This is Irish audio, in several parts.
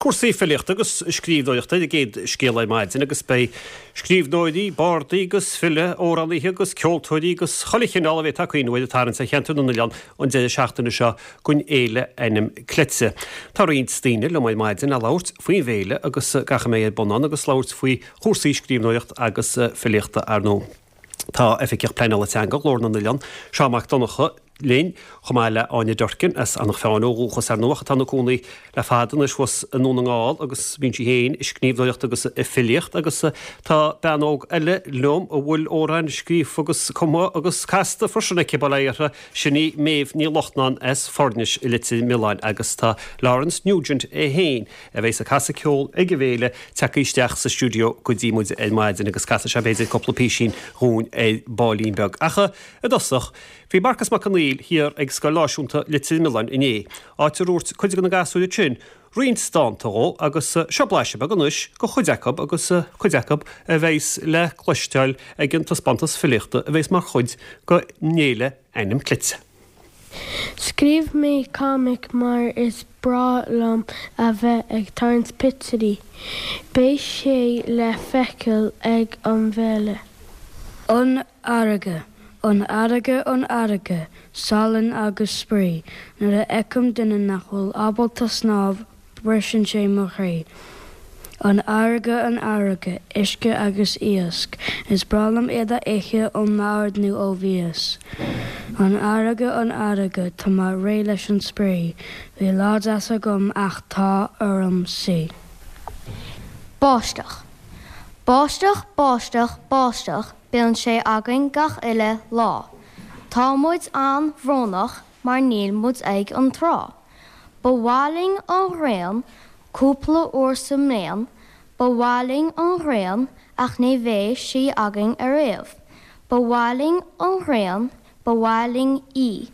Cúrsaí filíochta agus scríbhneoireachta ar an gcéad scéal ar maidin agus beidh scríbhneoirí, bardaí agus filí, amhránaithe agus ceoltóirí agus chuile chineál a bhféadfá cuimhneamh air ag tarraingt ar cheantar na n-oileán an deireadh seachtaine seo don fhéile Ainm Cleite. Tá roinnt daoine liom ar maidin le labhairt faoin bhféile agus gach a mbeidh ar bun ann agus labhairt faoi chúrsaí scríbhneoireacht agus filíochta ar ndóigh. Tá Oifigeach Pleanála Teanga Ghlór na nOileán, Seán Mac Donncha, linn, chomh maith le Áine Durkin, as Eanach Mheáin ó dhúchas ar ndóigh ach atá ina cónaí le fada anois thuas i nDún na nGall agus bíonn sí féin ag scríbhneoireacht agus ag filíocht agus tá bean óg eile liom a bhfuil amhráin scríofa agus cumtha agus casta freisin aici, bail ó Dhia uirthi, sin í Méabh Ní Lachtnáin as Foirnis i Leitir Mealláin agus tá Laurence Nugent é féin a bheas ag casadh ceol ag an bhféile, tagtha isteach sa stiúideo go dtí muid ar maidin agus casfaidh sé b'fhéidir cúpla písín dhúinn ar baillín beag. Ach i dtosach, bhí Marcas Mac Conghail thiar ag Scoil Náisiúnta Leitir Mealláin inné, áit a ndúirt cuid de na gasúir ansin roinnt dánta dhó agus seo blaiseadh beag anois de chuid acu agus cuid acu a bheas le cloisteáil ag an taispeántas filíochta a bheas mar chuid den fhéile Ainm Cleite. Scríobh mé comic mar is breá liom a bheith ag tarraingt pictiúirí. Beidh sé le feiceáil ag an bhféile. An fharraige, an fharraige, an fharraige, salann agus spraoi. Nuair a fheicim duine nach bhfuil ábalta snámh, Briseann sé mo chroí. An fharraige, an fharraige, uisce agus iasc. Is breá liom iad a ithe ón mbord nó ó mhias. An fharraige, an fharraige, tá mé réidh leis an spraoi. Bhí lá deas agam ach tá orm suí. Báisteach. Báisteach, báisteach, báisteach, bíonn sé againn gach uile lá. Tá muid an-bhrónach mar níl muid ag an trá. Ba mhaith linn an ghrian cúpla uair sa mbliain, ba mhaith linn an ghrian ach ní bheidh sí againn ariamh. Ba mhaith linn an ghrian, ba mhaith linn í,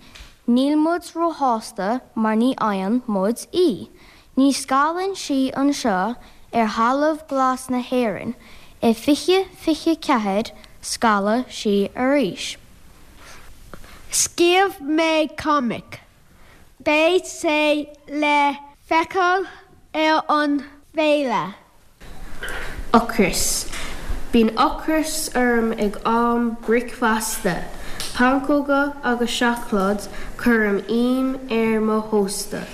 níl muid róshásta mar ní fhaigheann muid í. Ní scalann sí anseo ar thalamh glas na hÉireann, i 2024 scalfaidh sí arís. Scríobh mé comic. Beidh sé le feiceáil ar an bhféile. Ocras. Bíonn ocras orm ag am bricfeasta. Pancóga agus seacláid cuirim im ar mo thósta.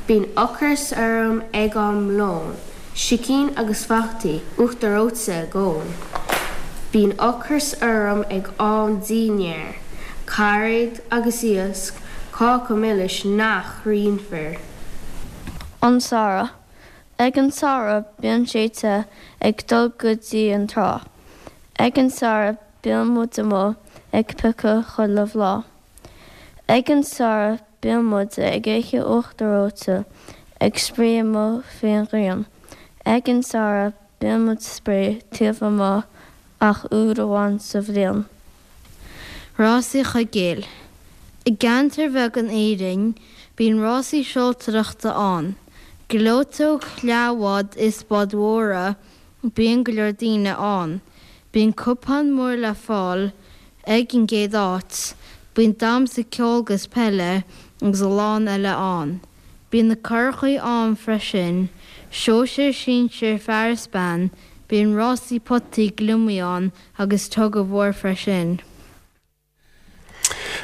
Bíonn ocras orm ag am lóin. Sicín agus fataí, uachtar reoite ag ól. Bíonn ocras orm ag am dinnéir. Cairéad agus iasc, cáca milis nach roinnfear. An Samhradh. Ag an samhradh bíonn sé te ag dul go dtí an trá. Ag an samhradh bíonn muid amuigh ag piocadh chuile bhláth. Ag an samhradh bíonn muid ag ithe uachtar reoite, ag spraoi amuigh faoin ghrian. Ag an samhradh bíonn muid spraoi taobh amuigh ach uair amháin sa bhliain. Rásaí Chuigéil. I gceantar bheag in Éirinn, bíonn rásaí seoltóireachta ann. Gleoiteog, leathbhád is báid mhóra, bíonn go leor daoine ann. Bíonn cupán mór le fáil ag an gcéad áit. Bíonn damhsa ceoil 'gus peile agus a lán eile ann. Bíonn na curachaí ann freisin, sóisir, sinsir, fear is bean, bíonn rásaí potaí gliomaigh ann agus tug of war freisin.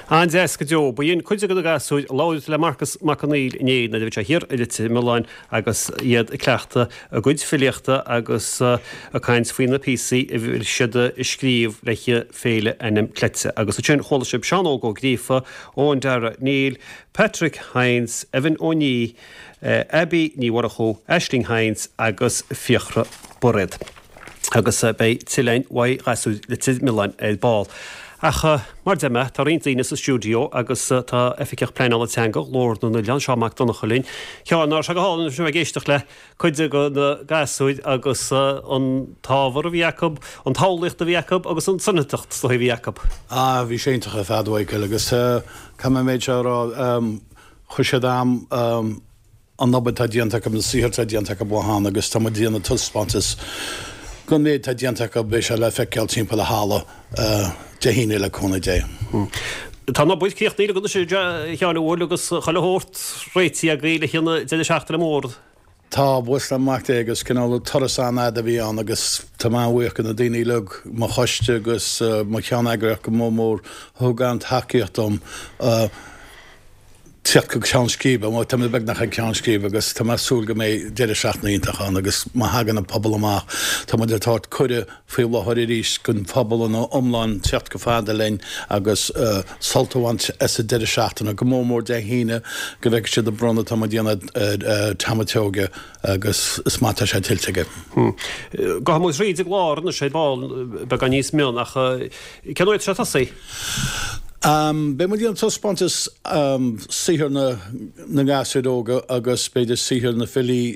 An-deas go deo. Ba shin cuid de na gasúir a labhair le Marcas Mac Conghail inné nuair a bhí sé thiar i Leitir Mealláin agus iad ag cleachtadh a gcuid filíochta agus ag caint faoi na píosaí a bhí siad a scríobh le Féile Ainm Cleite. Agus ansin chuala sibh Seán Óg Ó Gríofa, Eoin Dara Neill, Patrick Hynes, Evan Ó Nia, Abbie Ní Mhurchú, Aisling Hynes agus Fiachra Bairéad. Agus beidh tuilleadh uaidh ghasúir Leitir Mealláin ar ball. Ach mar deir mé, tá roinnt daoine sa stiúideo agus tá Oifigeach Pleanála Teanga Ghlór na nOileán, Seán Mac Donncha linn. Sheáin, nach raibh sé go hálainn a bheith ag éisteacht le cuid de na gasúir agus an t-ábhar a bhí acu, an tsamhlaíocht a bhí acu agus an tsoineantacht is dóigh a bhí acu. Ah, bhí sé iontach ar fad, a Mhichael, agus caithfidh mé an méid seo a rá, chuir siad am, an obair atá déanta acu, an saothar atá déanta acu ó cheana agus tá muid ag déanamh taispeántas den mhéid atá déanta acu, beidh sé le feiceáil timpeall an halla Dé hAoine le cúnamh Dé. Tá an obair críochnaithe agat anois a Sheáin an bhfuil agus chuile shórt réitithe agaibh le haghaidh an deireadh seachtaine mór. Tá, buíochas le Mac Dé agus cineál turas an-fhada a bhí ann agus tá mé an-bhuíoch do na daoine uilig, mo choiste agus mo cheann-eagraíocht go mór mór a thug an-tacaíocht dom tíocht go ceann scríbe. Bhuel, tá mé beagnach ag ceann scríbe agus tá mé ag súil go mbeidh deireadh seachtaine iontach ann agus má thagann an pobal amach, tá muid ag tabhairt cuireadh faoi láthair arís don phobal ina iomlán tíocht chomh fada linn agus sult a bhaint as an deireadh seachtaine, go mór mór Dé hAoine go bhfeicfidh siad an bronnadh atá muid a dhéanamh ar Tom a' tSeoighe agus is maith atá sé tuillte aige. Gabhfaidh muid thríd an gclár anois ar ball beagán níos mion ach cén uair atá sé ag tosaí? Beidh muid ag déanamh taispeántas saothar na ngasúir óga agus b'fhéidir saothar na filí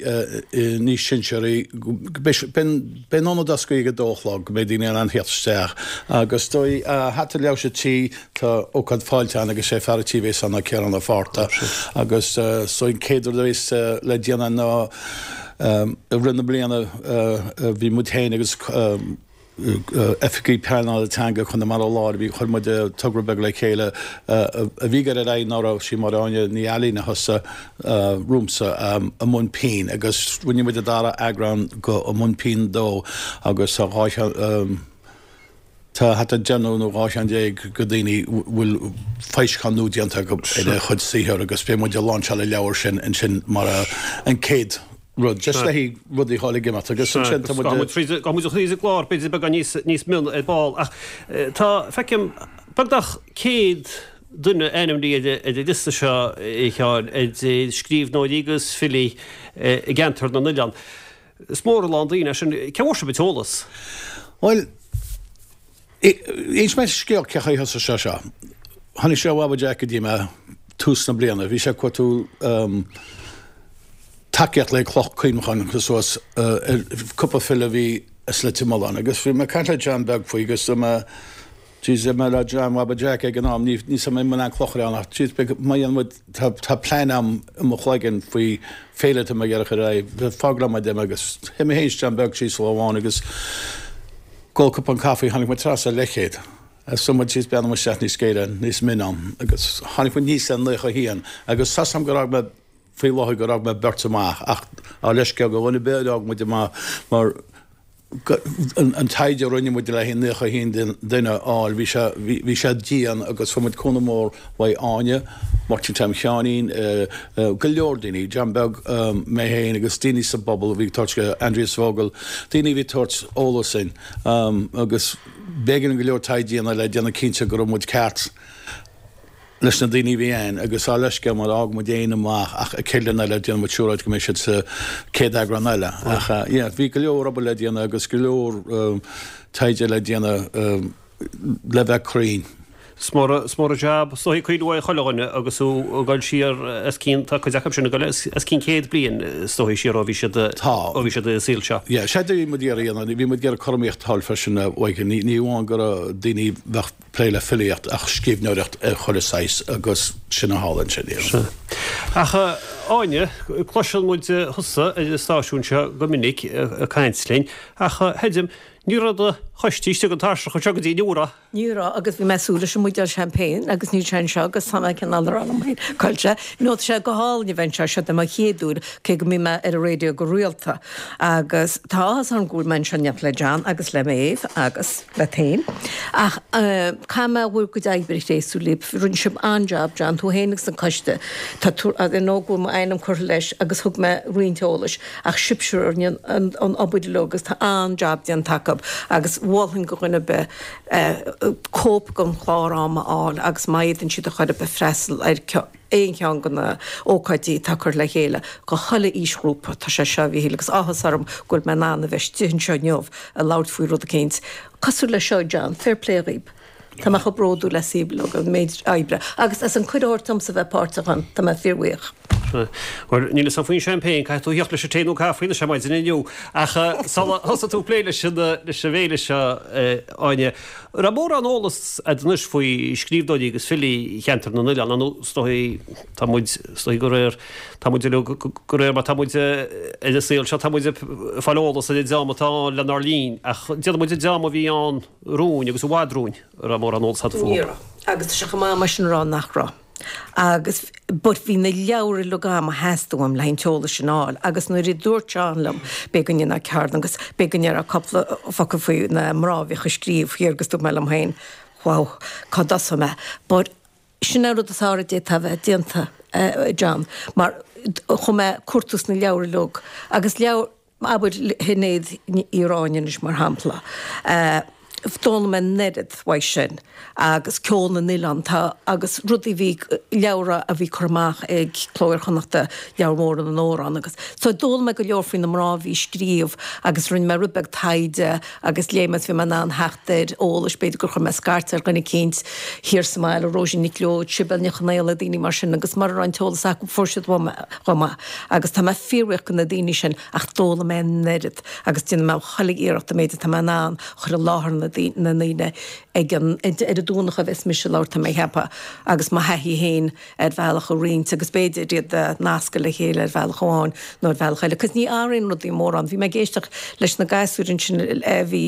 níos sinsearaí. Beidh an ionad oscailte ag a dó a chlog go mbeidh daoine in ann theacht isteach agus dóigh thart ar leabhar sa tí tá ócáid fáilte ann agus sé fear an tí a bhéas ann ná Ciarán Ó Fátharta agus is dóigh an chéad rud a bhéas le déanamh ná i rith na bliana bhí muid féin agus Oifigigh Pleanála Teanga Chonamara Láir, bhí, chuir muid togra beag le chéile a bhí ag dul ar aghaidh ná raibh sí Máire Áine Ní Ailín a thosaigh romhamsa i mbun pinn agus rinne muid an dara eagrán go i mbun pinn 2 agus tá 2 tá thart ar deichniúr nó 12 cheann go daoine bhfuil foilseachán nua déanta acu ar a chuid saothar agus beidh muid ag láinseáil an leabhar sin ansin mar an chéad rud, just le haghaidh rudaí a fháil ag imeacht agus ansin tá muid. Gabhfaidh muid thríd an gclár b'fhéidir beagán níos níos mion ar ball ach tá, feicim, beagnach 100 duine ainmnithe ar an liosta seo a Sheáin, idir scríbhneoirí agus filí i gceantar na n-oileán. Is mór a lán daoine é sin. Cé bhfuair sibh an t-eolas? Bhuel, inseoidh mé scéal cé chaoi a thosaigh sé seo. Tháinig sé ó Bhaba Jack go dtí mé tús na bliana. Bhí sé ag cuartú tacaíocht le cloch cuimhneacháin a chur suas ar cúpla file a bhí as Leitir Mealláin agus bhí mé ag caint le John Beag faoi agus dúirt mé jeez dúirt mé le John Bhaba Jack ag an am ní ní mé an cloch ar ann ach jeez beidh má dhéanann muid tá tá plean a'm i mo chloigeann faoi féile atá mé ag iarraidh a chur ar aghaidh fág liom é dem agus théigh mé féin is John Beag síos lá amháin agus ag ól cupán caife tháinig muid trasna ar leathchéad agus dúirt muid jeez breathnóidh muid isteach níos géire níos mine ann agus tháinig muid aníos le 91 agus tá 's a'm gur fhág mé faoi láthair gur fhág mé beirt amach ach ár leithscéal go dhuine ar bith ar fhág muid amach mar an taighde a rinne muid le haghaidh 91 duine a fháil bhí sé bhí sé dian agus fuair muid cúnamh mór uaidh Áine, Máirtín Tom Sheáinín, go leor daoine, John Beag, mé féin agus daoine sa bpobal a bhí ag tabhairt, Aindrias Vogel, daoine a bhí ag tabhairt eolas dúinn agus b'éigean go leor taighde a dhéanamh le déanamh cinnte go raibh muid ceart. leis na daoine a bhí ann agus ár leithscéal má fhág muid éinne amach ach an chéad bhliain eile déanfaidh muid siúráilt go mbeidh siad sa chéad eagrán eile. Ach yeah bhí go leor obair le déanamh agus go leor taighde le déanamh le bheith cruinn. Is mór is mór an jab is dóigh cuimhniú ar chuile dhuine agus thú ag dul siar os cionn, tá cuid acu sin ag dul os cionn 100 bliain is dóigh siar ó bhí siad ó bhí siad ar an saol seo. Yeah, sé a bhí muid ag iarraidh a dhéanamh, bhí muid ag iarraidh cothromaíocht a fháil freisin a Mhaidhcil, ní ní amháin go raibh daoine bheadh plé le filíocht ach scríbhneoireacht ar chuile saghas agus sin a tharla ansin. Sea. Ach a Áine, cloiseann muid thusa ar an stáisiún seo go minic ag caint linn, ach chreidim, ní raibh do choiste istigh an tairseach anseo go dtí inniu, an raibh? Ní raibh agus bhí mé ag súil leis an mbuidéal champagne agus níl sé anseo agus tá mé cineál ag rá liom féin, cá bhfuil sé? No, tá sé go hálainn a bheith anseo, seo é mo chéad uair, cé go mbím ar an raidió go rialta. Agus tá áthas orm go bhfuil mé anseo in éineacht le John agus le Maeve agus. leat féin. Ach caithfidh mé bhur gcuid oibre a thréaslú libh. Rinne sibh an-jab, John, tú féin agus an coiste. Tá tú, I know go bhfuil m'ainm curtha leis agus thug mé roinnt eolais, ach sibhse a rinne an obair uilig agus tá an-jab déanta acu agus mholfainn go dhuine ar bith cóip den chlár ama a fháil agus má fhéadann siad ar chor ar bith freastal ar aon cheann de na ócáidí atá curtha le chéile go chuile aoisghrúpa. Tá sé seo, a Mhíchíl, agus áthas orm go bhfuil mé in ann a bheith istigh anseo inniu ag labhairt faoi rud eicínt cosúil leis seo, John. Fair play dhaoib. Tá mé chomh bródúil asaibh uilig, an méid oibre agus as an cuireadh a thabhairt domsa bheith páirteach ann. Tá mé fíorbhuíoch. Bhuel, níl fhios agam faoin champagne, caithfidh tú a theacht leis an tae nó caife anois ar maidin inniu. Ach sula thosaigh tú ag plé leis an bhféile seo, Áine, Raibh mórán eolas a'd anois faoi scríbhneoirí agus filí cheantar na n-oileán, nó is dóigh, tá muid, is dóigh go réir, tá muid uilig, go réir mar tá muid ar an saol seo, tá muid ag fáil eolas ar an dream atá ann lenár linn, ach déarfaidh muid an dream a bhí ann romhainn agus i bhfad romhainn, raibh mórán eolas a'd fúthu? Ní raibh. Agus tá sé chomh maith mar sin a rá nach raibh. Agus but bhí na leabhair uilig agam a theastaigh uaim le haghaidh an t-eolas sin a fháil agus nuair a dúirt Seán liom b'fhéidir go ndéanfá ceardlann agus b'fhéidir go ndéarfá cúpla focal faoi na mná a bhíodh ag scríobh thiar agus dúirt mé liom féin wow, cá dtosóidh mé? But sin an rud is fearr a d'fhéadfá a bheith déanta, John, mar chuaigh mé ag cuartú sna leabhair uilig agus leabhar, Abair Shinéad Ní Ráinne anois mar shampla. D'fhoghlaim mé an oiread uaidh sin agus Ceol na nOileán tá agus rudaí bhí leabhra a bhí curtha amach ag Cló Iar-Chonnachta, Leabhar Mór na nAmhrán agus so d'fhoghlaim mé go leor faoi na mná a bhí ag scríobh agus rinne mé rud beag taighde agus léigh mé is bhí mé in ann theacht ar eolais b'fhéidir gur chuir mé scairt ar dhuine eicínt thiar sa mbaile, Róisín Nic Leoid, Sibéal Nic Chonaola, daoine mar sin agus mura raibh an t-eolas acu fuair siad uaim é. chomh maith agus tá mé fíorbhuíoch de na daoine sin ach d'fhoghlaim mé an oiread agus déanfaidh mé chuile iarracht an méid atá mé in ann a chur i láthair na ndaoine ag an ar an Domhnach a bheas mise ag labhairt tá mé ag ceapadh agus mo thaithí féin ar bhealach a roinnt agus b'fhéidir iad a nascadh le chéile ar bhealach amháin nó ar bhealach eile cos ní athraíonn rudaí mórán. Bhí mé ag éisteacht leis na gasúir ansin a bhí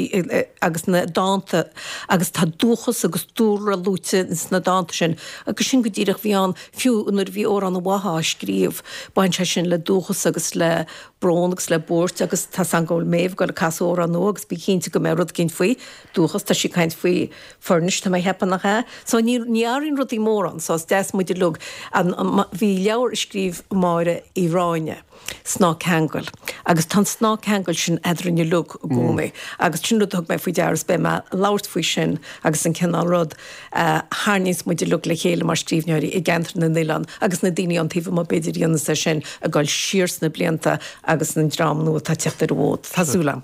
agus na dánta agus tá dúchas agus dúlra luaite sna dánta sin agus sin go díreach bhí ann Fiú nuair a bhí Amhrán na bhFathaí á scríobh, bhain sé sin le dúchas agus le brón agus le buairt agus tá 's agam go bhfuil Méabh ag dul ag casadh amhrán nua agus bí cinnte go mbeidh rud eicínt faoi dúchas, tá sí ag caint faoi Furnish, tá mé ag ceapadh, nach ea? So ní, ní athraíonn rudaí mórán, so is deas muid uilig, an, bhí leabhar a scríobh Máire Uí Ráinne, snáth ceangail. Agus tá an snáth ceangail sin eadrainn uilig i gcónaí. Agus sin rud a thug mé faoi deara is beidh mé ag labhairt faoi sin agus an cineál rud a tharraingíonns muid uilig le chéile mar scríbhneoirí i gceantar na n-oileán agus na daoine ón taobh amuigh b'fhéidir a dhéanas é sin ag dul siar sna blianta agus an dream nua atá ag teacht ar an bhfód. Tá súil agam.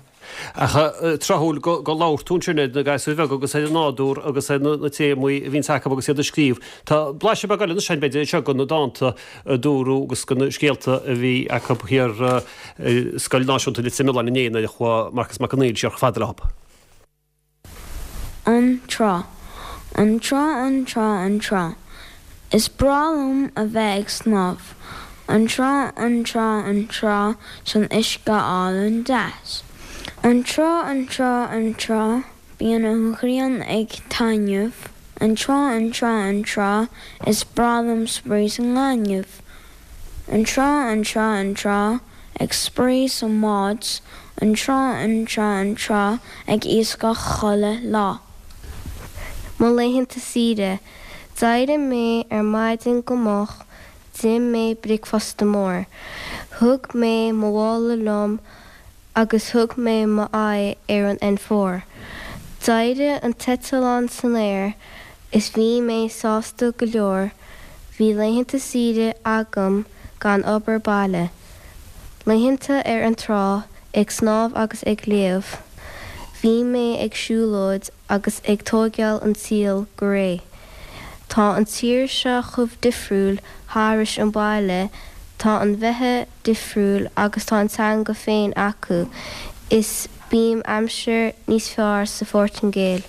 Ach tráthúil go labhair tú ansin ar na gasúir bheaga agus ar an nádúr agus ar na téamaí a bhíonns acu agus iad ag scríobh. Tá blaiseadh beag eile anois againn b'fhéidir anseo de na dánta a dúradh agus de na scéalta a bhí acu thiar i Scoil Náisiúnta Leitir Mealláin inné nuair a chuaigh Marcas Mac Conghail siar chomh fada leo. An Trá. An trá, an trá, an trá. Is breá liom a bheith ag snámh. An trá, an trá, an trá, san uisce álainn deas. An trá, an trá, an trá, bíonn an ghrian ag taitneamh. An trá, an trá, an trá, is breá liom spraoi sa ngaineamh. An trá, an trá, an trá, ag spraoi sa mbád, an trá, an trá, an trá, ag iascach chuile lá. Mo laethanta saoire. D'éirigh mé ar maidin go moch, d'ith mé bricfeasta mór. Thug mé mo mhála liom agus thug mé m'aghaidh ar an N4. D'éirigh an t-eitleán san aer is bhí mé sásta go leor, bhí laethanta saoire agam gan obair baile. Laethanta ar an trá, ag snámh agus ag léamh. Bhí mé ag siúlóid agus ag tóigeáil an tsaoil go réidh. Tá an tír seo chomh difriúil thairis an baile, tá an bheatha difriúil agus tá an teanga féin acu is bíonn aimsir níos fearr sa Phortaingéil.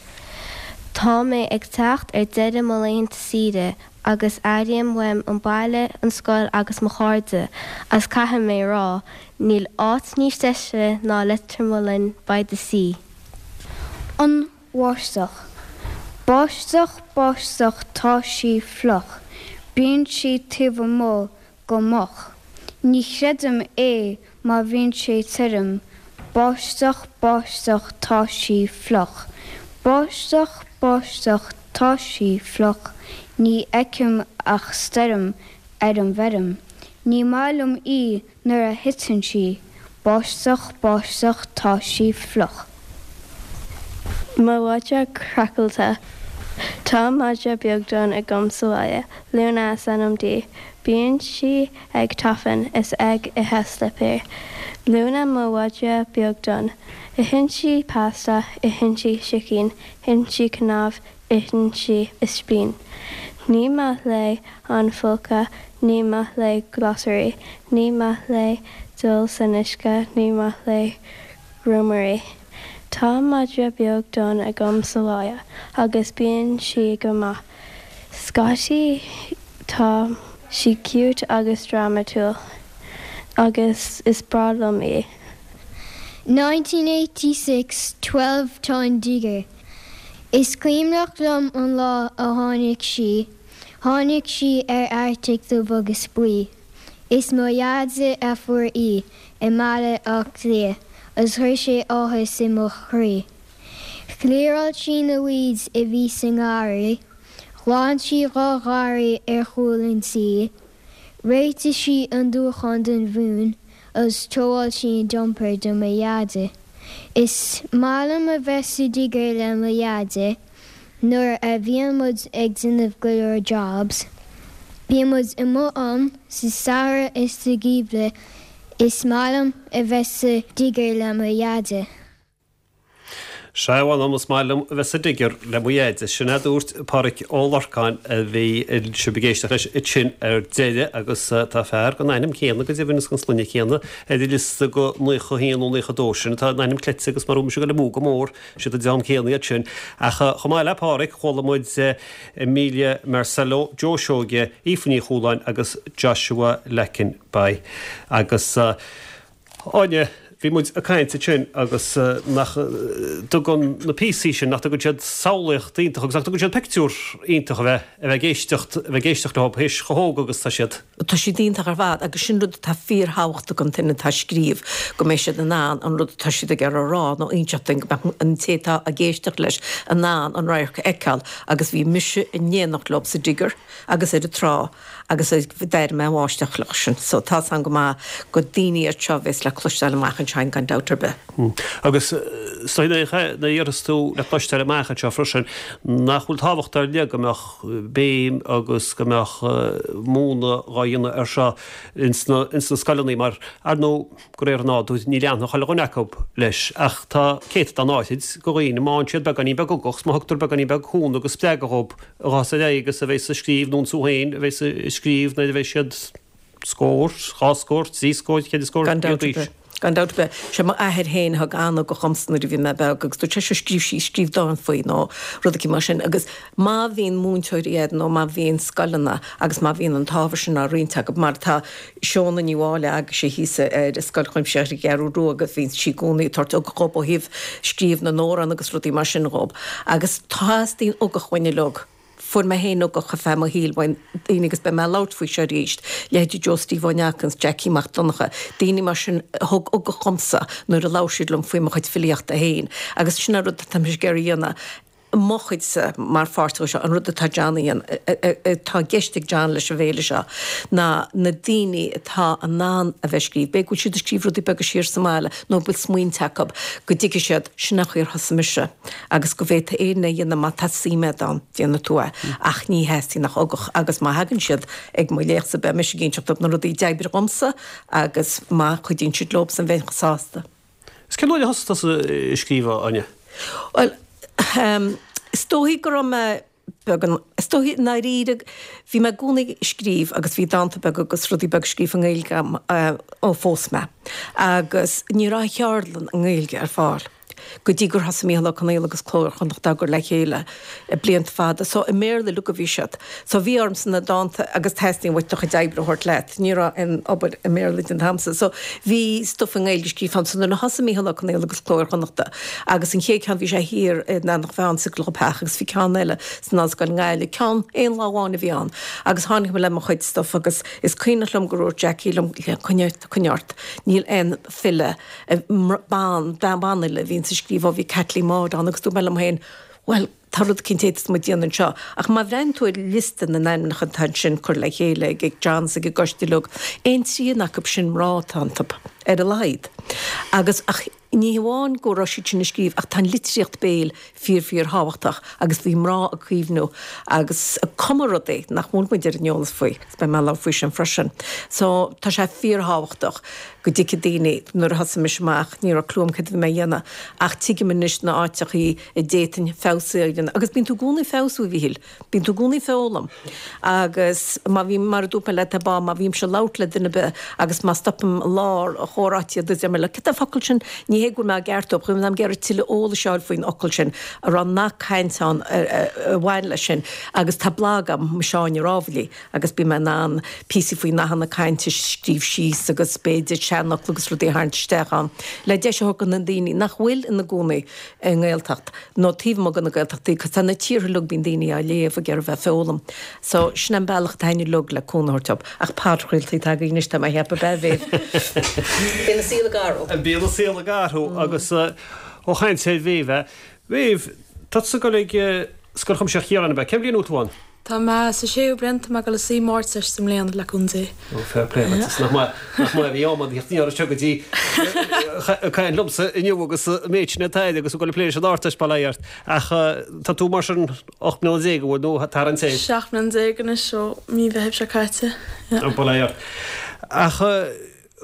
Tá mé ag teacht ar deireadh mo laethanta saoire agus airím uaim an baile, an scoil agus mo chairde agus caithfidh mé rá, níl áit níos deise ná Leitir Mealláin by the sea. An bháisteach. Báisteach, báisteach, tá sí fliuch. Bíonn sí taobh amuigh go moch. Ní chreidim é má bhíonn sé tirim. Báisteach, báisteach, tá sí fliuch. Báisteach, báisteach, tá sí fliuch. Ní fheicim ach stoirm ar an bhfeirm. Ní maith liom í nuair a thiteann sí. Báisteach, báisteach, tá sí fliuch. Mo mhadra craiceáilte. Tá madra beag donn agam sa bhaile. Luna is ainm di. Bíonn sí ag tafann is ag ithe slipéir. Luna mo mhadra beag donn. Itheann sí pasta, itheann sí sicín, itheann sí cnámh, itheann sí ispín. Ní maith léi an folcadh, ní maith léi glasraí, ní maith léi dul san uisce, ní maith léi grúmairí. Tá madra beag donn agam sa bhaile agus bíonn sí go maith. Scaití tá sí cute agus drámatúil agus is breá liom í. 1986 12 Tá an Digger. Is cuimhneach liom an lá a tháinig sí. Tháinig sí ar Arctic dubh agus buí. Is mo Dheaide a fuair í i mBaile Átha Cliath agus chuir sé áthas i mo chroí. Chliaráil sí na weeds a bhí sa ngarraí, ghlan sí dha gharraí ar chúl an tí, réitigh sí an dúchán don mhún agus throw-áil sí an jumper do mo Dheaide. Is maith liom a bheith sa digger le mo Dheaide nuair a bhíonn muid ag déanamh go leor jobs. Bíonn muid amuigh ann sa samhradh is sa gheimhreadh. Is maith liom a bheith sa digger le mo Dheaide. Sea, mh'anam, is maith liom a bheith sa digger le mo Dheaide. Sin é a dúirt Páraic Ó Lorcáin a bhí sibh ag éisteacht leis ansin ar deireadh agus tá fear den ainm céanna go deimhin is den sloinne céanna ar an liosta go 91 nó 92 sin atá in ainm cleite agus mar mise ag dul amú go mór. Siad an dream céanna iad sin. Ach chomh maith le Páraic, chuala muid Emilia Marcello, Joe Seoige, Aoife Ní Chualáin agus Joshua Leckenby. Agus Áine, bhí muid ag caint ansin agus nach dtugann na píosaí sin, nach dtugann siad samhlaíocht iontach agus nach dtugann siad pictiúr iontach a bheith, a bheith ag éisteacht, a bheith ag éisteacht leo théis chomh hóg agus tá siad. Tá siad iontach ar fad agus sin rud atá fíorthábhachtach don duine atá ag scríobh, go mbeidh siad in ann an rud atá siad ag iarraidh a rá nó inseacht dúinn, go mbeadh an té atá ag éisteacht leis in ann an radharc a fheiceáil agus bhí mise in éineacht leo sa digger agus ar an trá. agus d'airigh mé an bháisteach leo sin. So tá's agam go maith gur daoine iad seo a bheas le cloisteáil amach anseo gan dabht ar bith. Agus is dóigh nuair a déarfas tú le cloisteáil amach anseo freisin, nach bhfuil tábhacht ar leith go mbeadh béim agus go mbeadh múineadh dhá dhéanamh ar seo ins na scoileanna mar, ar ndóigh, De réir an nádúir, ní leanfadh chuile dhuine acu leis, ach tá céatadán áithrid de dhaoine, má fhaigheann siad beagáinín beag ugach, 's má thugtar beagáinín beag cúnamh agus spreagadh dhób, a ghabhfas ar aghaidh agus a bheas ag scríobh, nó iontu féin a bheas ag scríobh nuair a bheidh siad scór, dhá scór, trí scór, ceithre scór Gan bliain dabht ar d'aois. bith. Gan dabht ar bith. Sé m'athair féin a thug an-ugach dhomsa nuair a bhí mé beag agus dúirt sé seo scríobh síos, scríobh dán faoi nó rud eicínt mar sin agus má bhíonn múinteoirí agat nó má bhíonn scoileanna agus má bhíonn an t-ábhar sin á roinnt acu mar tá Shóna Ní Mháille agaibhse thíos ar Scoil Chuimsitheach ar an gCeathrú Rua agus bhíonn sí i gcónaí ag tabhairt ugach dhób ó thaobh scríobh na n-amhrán agus rudaí mar sin dhób. Agus teastaíonn ugach uainn uilig. Fuair mé féin ugach ar feadh mo shaoil uaidh daoine agus beidh mé ag labhairt faoi seo arís, leithéidí Joe Steve Ó Neachtain, Jackie Mac Donncha, daoine mar sin a thug ugach dhomsa nuair a labhair siad liom faoi mo chuid filíochta féin. Agus sin an rud atá mise ag iarraidh a dhéanamh. mo chuidse mar pháirt de seo, an rud atá John a dhéanamh, atá i gceist ag John leis an bhféile seo, ná na daoine atá in ann a bheith ag scríobh, b'fhéidir go bhfuil siad ag scríobh rudaí beaga siar sa mbaile nó go bhfuil smaointe acu, go dtuigfidh siad, sin an chaoi ar thosaigh mise agus go bhféadfaidh éinne é a dhéanamh má tá suim agat ann, déanfaidh tú é. Ach ní theastaíonn ach ugach agus má thagann siad ag mo léachtsa beidh mise ag inseacht dóibh na rudaí a d'oibrigh dhomsa agus má chuidíonn siad leobsan bheinn chomh sásta. Is cén uair a thosaigh tusa ag scríobh, a Áine? Bhuel, is dóichí go raibh mé beagán, is dóichí i ndáiríre, bhí mé i gcónaí ag scríobh agus bhí dánta beaga agus rudaí beaga scríofa i nGaeilge agam ó phós mé. Agus ní raibh cheardlann i nGaeilge ar fáil go dtí gur thosaigh Mícheál Ó Conghaile agus Cló Iar-Chonnacht á gcur le chéile blianta fada. So i mBéarla uilig a bhí siad. So bhí ormsa na dánta agus teastaíonn uait do chuid oibre a thabhairt leat. Ní raibh aon obair i mBéarla den t-am san. So bhí stuif i nGaeilge scríofa agam. So nuair a thosaigh Mícheál Ó Conghaile agus Cló Iar-Chonnachta agus an chéad cheann bhí sé thiar in Eanach Mheáin sa gclubtheach agus bhí ceann eile san Ollscoil i nGaillimh. Ceann aon lá amháin a bhí ann agus tháinig mé le mo chuid stuif agus is cuimhneach liom gur dhúirt Jackie liom coinnigh ort níl aon file ban, banfhile a bhíonns ag scríobh ó bhí Caitlín Maude ann agus dúirt mé liom féin bhuel tá rud eicínt a fhéadfas muid déanamh anseo. Ach má bhreathnaíonn tú ar liosta na n-ainmneacha atá ansin curtha le chéile ag John is ag an gcoiste uilig, aon trian acu sin mná atá iontu, ar a laghad. Agus, ach ní hamháin go raibh siad sin ag scríobh ach tá an litríocht béil fíor fíor thábhachtach agus bhí mná ag caomhnú agus ag cumadh rudaí nach bhfuil muid ar an eolas faoi agus beidh mé ag labhairt faoi sin freisin. So tá sé fíor thábhachtach go dtuigfidh daoine, nuair a thosaigh mise amach ní raibh clue agam céard a bhí mé a dhéanamh ach tuigim anois na áiteachaí a d'fhéadfainn feabhsú a dhéanamh. Agus bíonn tú i gcónaí ag feabhsú, a Mhíchíl. Bíonn tú i gcónaí ag foghlaim. Agus má bhím, mar a dúirt mé leat ar ball, má bhímse ag labhairt le duine ar bith agus má stopaim i lár an. chomhráití agus deir mé leo, cad é an focal sin? Ní hé go bhfuil mé á gceartú, ach táim ag iarraidh tuilleadh eolais a fháil faoin fhocal sin, an raibh nath cainte ann a bhain leis sin agus tá blag agam, Mise Áine Rámhaillí, agus bíonn mé in ann píosaí faoi nathanna cainte a scríobh síos agus b'fhéidir seanfhocla agus rudaí a tharraingt isteach ann le deis a thabhairt do na daoine nach bhfuil ina gcónaí i nGaeltacht nó taobh amuigh de na Gaeltachtaí, cos tá na tíortha uilig, bíonn daoine á léamh ag iarraidh bheith ag foghlaim. So, sin an bealach atá againn uilig le cúnamh a thabhairt dóibh. Ach podchraoltaí atá againn anois, tá mé a cheapadh, ab ea, Mhéabh? Bíonn an saol ag athrú. Bíonn an saol ag athrú agus ó chaint ar Mhéabh, Mhéabh, tá tusa ag dul ag Scoil Chuimsitheach Chiaráin, ab ea? Cén bhliain a bhfuil tú ann? Tá mé sa séú bliain, tá mé ag dul a suí m'Ardteist i mbliana, le cúnamh Dé. Ó, fair play duit, is nach maith, nach maith a bhí am ann theacht aniar anseo go dtí ag caint liomsa inniu agus an méid sin atá air agus ag dul ag plé leis an Ardteist, bail ó Dhia ort. Ach tá tú mar sin 18 mbliana, an bhfuil, nó tarraingt air? 17 mbliana anois ó mí Mheithimh seo caite, yeah. Ó, bail ó Dhia ort. Ach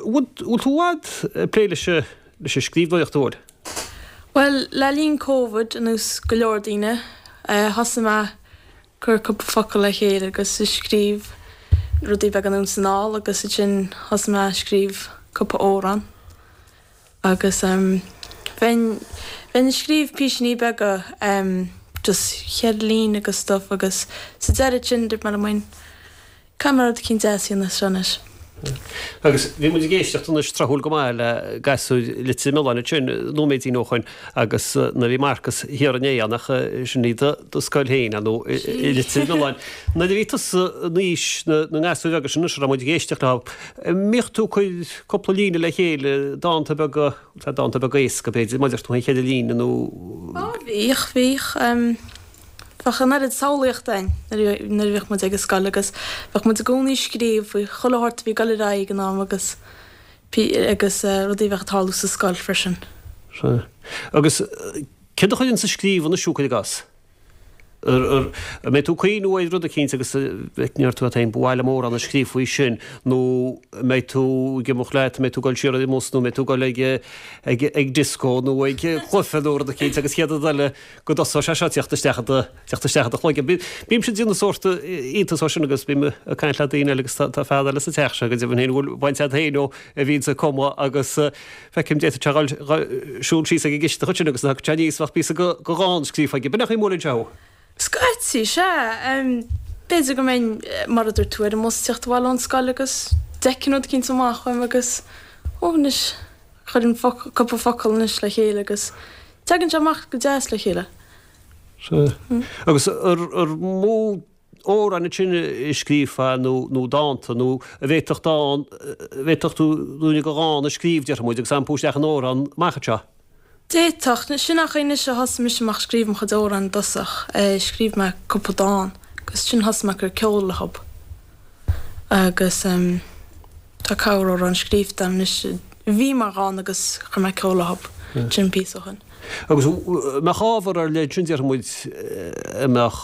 bhfuil, bhfuil tú i bhfad ag plé leis an, leis an scríbhneoireacht, an bhfuil? Bhuel, le linn Covid, ar nós go leor daoine, thosaigh mé cur cúpla focal le chéile agus ag scríobh rudaí beaga anonn is anall agus ansin thosaigh mé ag scríobh cúpla amhrán agus bheinn bheinn ag scríobh písíní beaga just cheithre líne agus stuff agus sa deireadh ansin dúirt mé liom féin Caithfidh mé rud eicínt deas a dhéanamh as seo anois. Agus bhí muid ag éisteacht anois tráthúil go maith le gasúir Leitir Mealláin ansin nóiméidín ó shoin agus nuair a bhí Marcas thiar inné ann ach sin í do do scoil féin ar ndóigh i Leitir Mealláin. Nuair a bhí tusa in aois na na ngasúir bheaga sin anois a raibh muid ag éisteacht leo, an mbíodh tú ag cur cúpla líne le chéile, dánta beaga, dánta beaga éasca b'fhéidir, maidir tú féin cheithre líne nó. Á bhíodh, bhíodh. Bheadh an oiread samhlaíochta againn nuair a bhíodh muid ag an scoil agus bheadh muid i gcónaí ag scríobh faoi chuile shórt a bhí ag dul ar aghaidh ag an am agus agus rudaí a bheadh ag tarlú sa scoil freisin. Sea. Agus céard a chuireanns ag scríobh anois thú, cuir i gcás? An mbeidh tú ag cuimhniú ar rud eicínt agus ndéarfaidh tú leat féin, ba mhaith liom amhrán a scríobh faoi sin nó an mbeidh tú ag imeacht leat, an mbeidh tú ag dul siar ar an mbus nó an mbeidh tú ag dul ag ag ag disco nó ag cluiche nó rud eicínt agus chéad rud eile go dtosóidh sé seo teacht isteach i do, teacht isteach i do chloigeann. Bímse ag déanamh sórt iontas dó sin agus bím ag caint le daoine eile agus tá fear eile sa teach seo go deimhin féin a bhfuil baint agat féin leo a bhíonns ag cumadh agus feicim d'fhéadfadh sé dhul siúl síos ag an gcisteach ansin agus nuair a thagann sé aníos bheadh píosa de dhán scríofa aige. B'in é an chaoi a mbuaileann sé thú. Scaití, sea. B'fhéidir go mbeinn, mar a dúirt tú, ar an mbus teacht abhaile ón scoil agus d'fheicfinn rud eicínt amach uaim agus, ó anois, Cuireann cúpla focal anois le chéile agus tagann sé amach go deas le chéile. Sea. Agus ar mó amhrán ansin a scríobhfá nó nó dánta nó an bhféadfadh dán, an bhféadfadh tú ruainne de dhán a scríobh, déarfaidh muid, agus iompú isteach in amhrán amach anseo? D'fhéadfadh. Sin an chaoi anois a thosaigh mise amach ag scríobh mo chuid amhrán i dtosach. Scríobh mé cúpla dán agus ansin thosaigh mé ag cur ceol leob. Agus. Tá corr-amhrán scríobhta agam anois a bhí mar dhán agus chuir mé ceol leob sin píosa ó shin. Agus an mbeadh ábhar ar leith ansin, déarfaidh muid, a mbeadh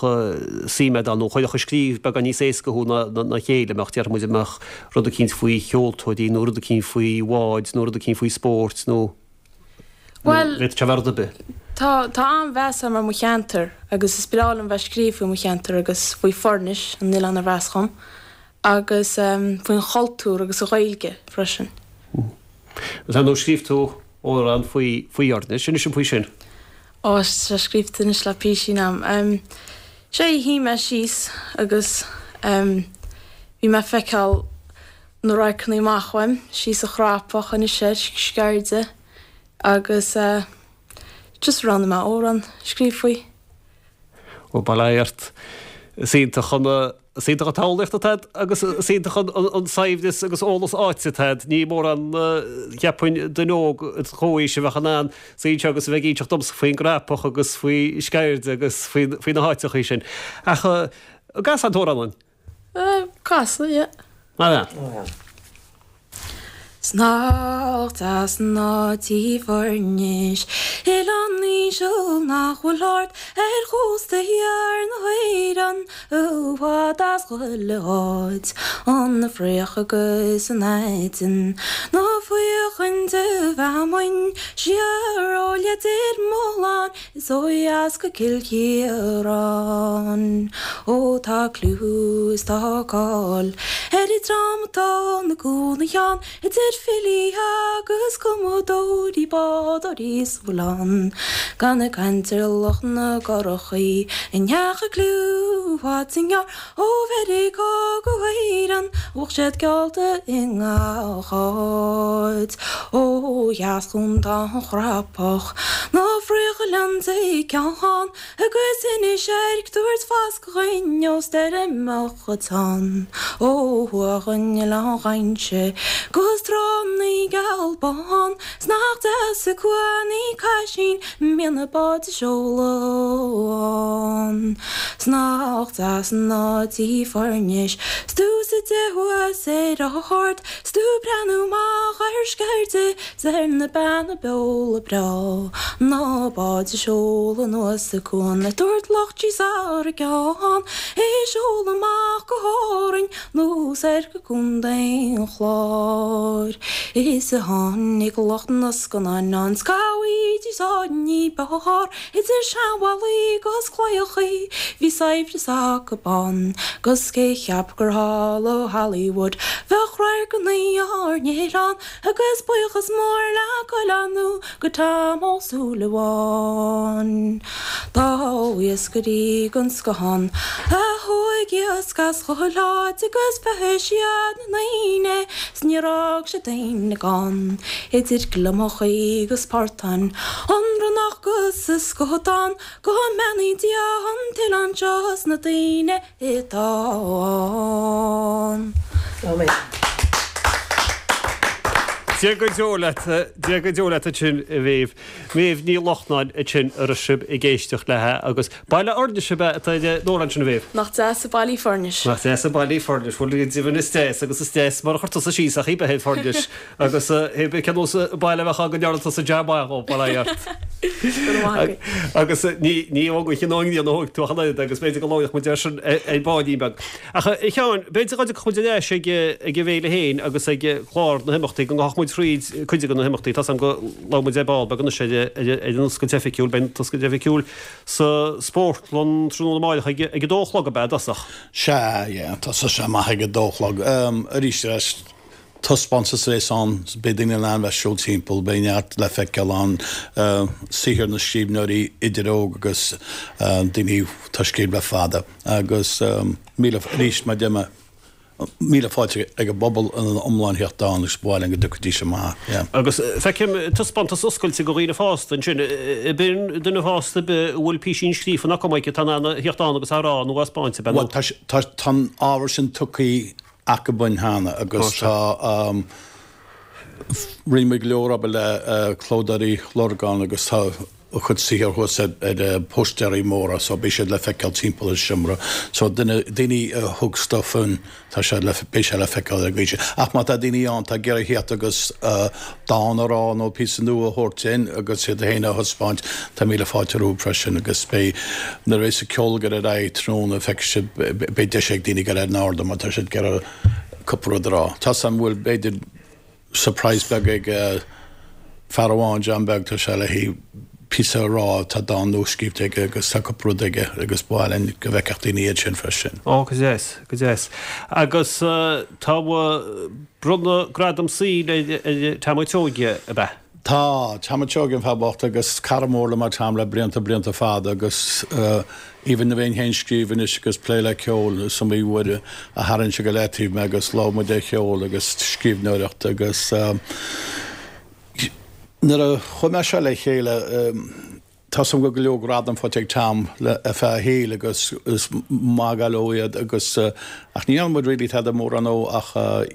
suim agat ann nó a chuirfeadh ag scríobh beagán níos éasca thú ná a chéile, mbeadh, déarfaidh muid, a mbeadh rud eicínt faoi cheoltóirí nó rud eicínt faoi bháid nó rud eicínt faoi spóirt nó Bhuel, bhféadfadh sé a bheith rud ar bith. tá, tá an-mheas agam ar mo cheantar agus is breá liom bheith ag scríobh faoi mo cheantar agus faoi Foirnis, an oileán arbh as dhom. agus faoin chultúr agus an Ghaeilge freisin. Agus ar ndóigh scríobh tú amhrán faoi faoi Fhoirnis, inis dom faoi sin. Ó, tá sé scríobhta anois le písín am. Sé, shuigh mé síos agus bhí mé ag feiceáil na radharcanna amach uaim, síos an Chrapach, Inis Eirc, Sceirde agus just roghnaigh mé amhrán a scríobh faoi. Ó, bail ó Dhia ort. Is iontach an, is iontach an tsamhlaíocht atá agat agus is iontach an saibhreas agus eolas áite atá agat. Ní mórán, cheapfainn, duine óg i do chomhaois a bheadh in ann suí anseo agus a bheith ag inseacht domsa faoin gCrapach agus faoi Sceirde agus faoi faoi na háiteachaí sin. Ach an gcasfá an t-amhrán dúinn? Casfaidh, yeah. Mar ea. 'S nach deas an áit í Foirnis, oileán íseal nach bhfuil ard ar chósta thiar na hÉireann, i bhfad as chuile áit, an Fraoch agus an aiteann, na faochain de fheamainn, siar ó Leitir Mealláin Is ó dheas go Cill Chiaráin. Ó tá clú is tá cáil ar an dream atá 'na gcónaí ann idir. Idir filí agus cumadóirí, bádóirí is a bhfuil ann. Gan ag caint ar lucht na gcurachaí a ndeachaigh cliú fad is i ngearr ó Mheiriceá go hÉireann, bheadh siad geallta i ngach áit. Ó dheas dhún tá an Chrapach, na Fraoch Oileán Dé Ceann agus Inis Airc tabhairt fascadh dhuinn ó stoirmeacha teann. Ó thuaidh an Oileán Ghainse 'gus tránna geal bán 's nach deas an cuan í Caisín mbíonn na báid ag seoladh ann. 'S nach deas an áit í Foirnis 's tú suite thuas ar ard 's tú ag breathnú amach ar Sceirde 's ar na Beanna Beola breá na báid ag seoladh anuas an cuan ag tabhairt lucht síos thar a gceann ag seoladh amach go hÁrainn nó soir go Contae an Chláir. Is a tháinig lucht na scannán ann 's cá bhfaighidís áit ní b'fhearr idir seanbhallaí 'gus claíochaí bhí saibhreas acu ann 'gus cé cheap gur thall ó Hollywood bheadh radharcanna ár n-oileán Agus buíochas mór le chuile nó go Tom Ó Súilleabháin. Dá iascairí den scoth ann a thóig iasc as chuile áit agus bheathaigh siad na ndaoine 's níor fhág siad éinne gann. Idir gliomachaí 'gus portáin, an ronnach 'gus an scadán, go mbeannaí Dia an t-oileán seo 's na daoine atá ann. Amen. Dia go deo leat, Dia go deo leat ansin a Mhéabh. Méabh Ní Lochnáin ansin a raibh sibh ag éisteacht léi agus baile Fhuirnis ab ea atá ar an amhrán sin a Mhéabh? Nach deas an baile í Foirnis. Nach deas an baile í Foirnis. Bhuel go deimhin is deas agus is deas mar a chuir tusa síos ach í bheith ar Foirnis. Agus cé bith cén nós baile a bheadh ann go ndearna tusa jab maith dhó, bail ó Dhia ort. Go raibh maith agat. Agus ní ní ón gcaoi ná an ghrian a thóig tú ach an oiread agus b'fhéidir go labhródh muid air sin ar baillín beag. Ach a Sheáin, b'fhéidir go dtiocfadh muid ar ais ag ag an bhféile féin agus ag clár na himeachtaí, go ngabhfadh muid thríd cuid de na himeachtaí. Tá's agam go labhair muid ar ball beag anois ar ar an oscailt oifigiúil, beidh an t-oscailt oifigiúil sa spórtlann tráthnóna amáireach ag ag a dó a chlog ab ea i dtosach? Sea, yeah, tosóidh sé amach ag a dó a chlog. Arís ar ais Taispeántas a bheas ann, beidh daoine in ann bheith ag siúl timpeall, beidh neart le feiceáil ann, saothar na scríbhneoirí idir óg agus daoine atá ag scríobh le fada. Agus míle, arís mar a deir mé, míle fáilte ag an bpobal ina iomlán theacht ann agus ba mhaith linn go dtiocfaidís amach, yeah. Agus feicim taispeántas oscailte do dhaoine fásta ansin, ab in duine fásta ar bith a bhfuil písín scríofa ná cuma acu atá in ann a theacht ann agus á rá nó á spáint, ab ea? Bhuel, tá, tá an ábhar sin tugtha acu dúinn cheana agus tá rinne muid go leor obair le Clódóirí Lurgan agus tá a chuid saothar thuas ar póstaeirí móra so beidh siad le feiceáil timpeall an seomra so duine daoine a thug stuff in tá sé le beidh sé le feiceáil ar an gcaoi sin. Ach má tá daoine ann atá ag iarraidh theacht agus dán a rá nó píosa nua a thabhairt in agus iad féin a thaispeáint tá míle fáilte rompu freisin agus beidh nuair a bheas an ceol ag dul ar aghaidh tráthnóna feicfidh sibh beidh deis ag daoine dul ar an ardán má tá siad ag iarraidh cúpla rud a rá. Tá 's agam go bhfuil b'fhéidir surprise beag ag fear amháin, John Beag, tá sé le haghaidh píosa a rá, tá dán nua scríobhta aige agus tá cúpla rud aige agus ba mhaith linn go bhfeicfeadh daoine iad sin freisin. Ó, go deas, go deas. Agus tá bronnadh gradam saoil ar Tom Ó Seoige, ab ea? Tá, Tom Ó Seoige an fear bocht agus cara mór liom é Tom le blianta, blianta fada agus even a bheinn féin scríobh anois agus plé le ceol is iomaí uair a tharraing sé go leataobh mé agus labhair muid ar cheol agus scríbhneoireacht agus nuair a chuir mé seo le chéile Tá's agam go bhfuil go leor gradam faighte ag Tom le ar feadh a shaoil agus is maith go leor iad agus ach ní dhearna muid really tada mórán dó ach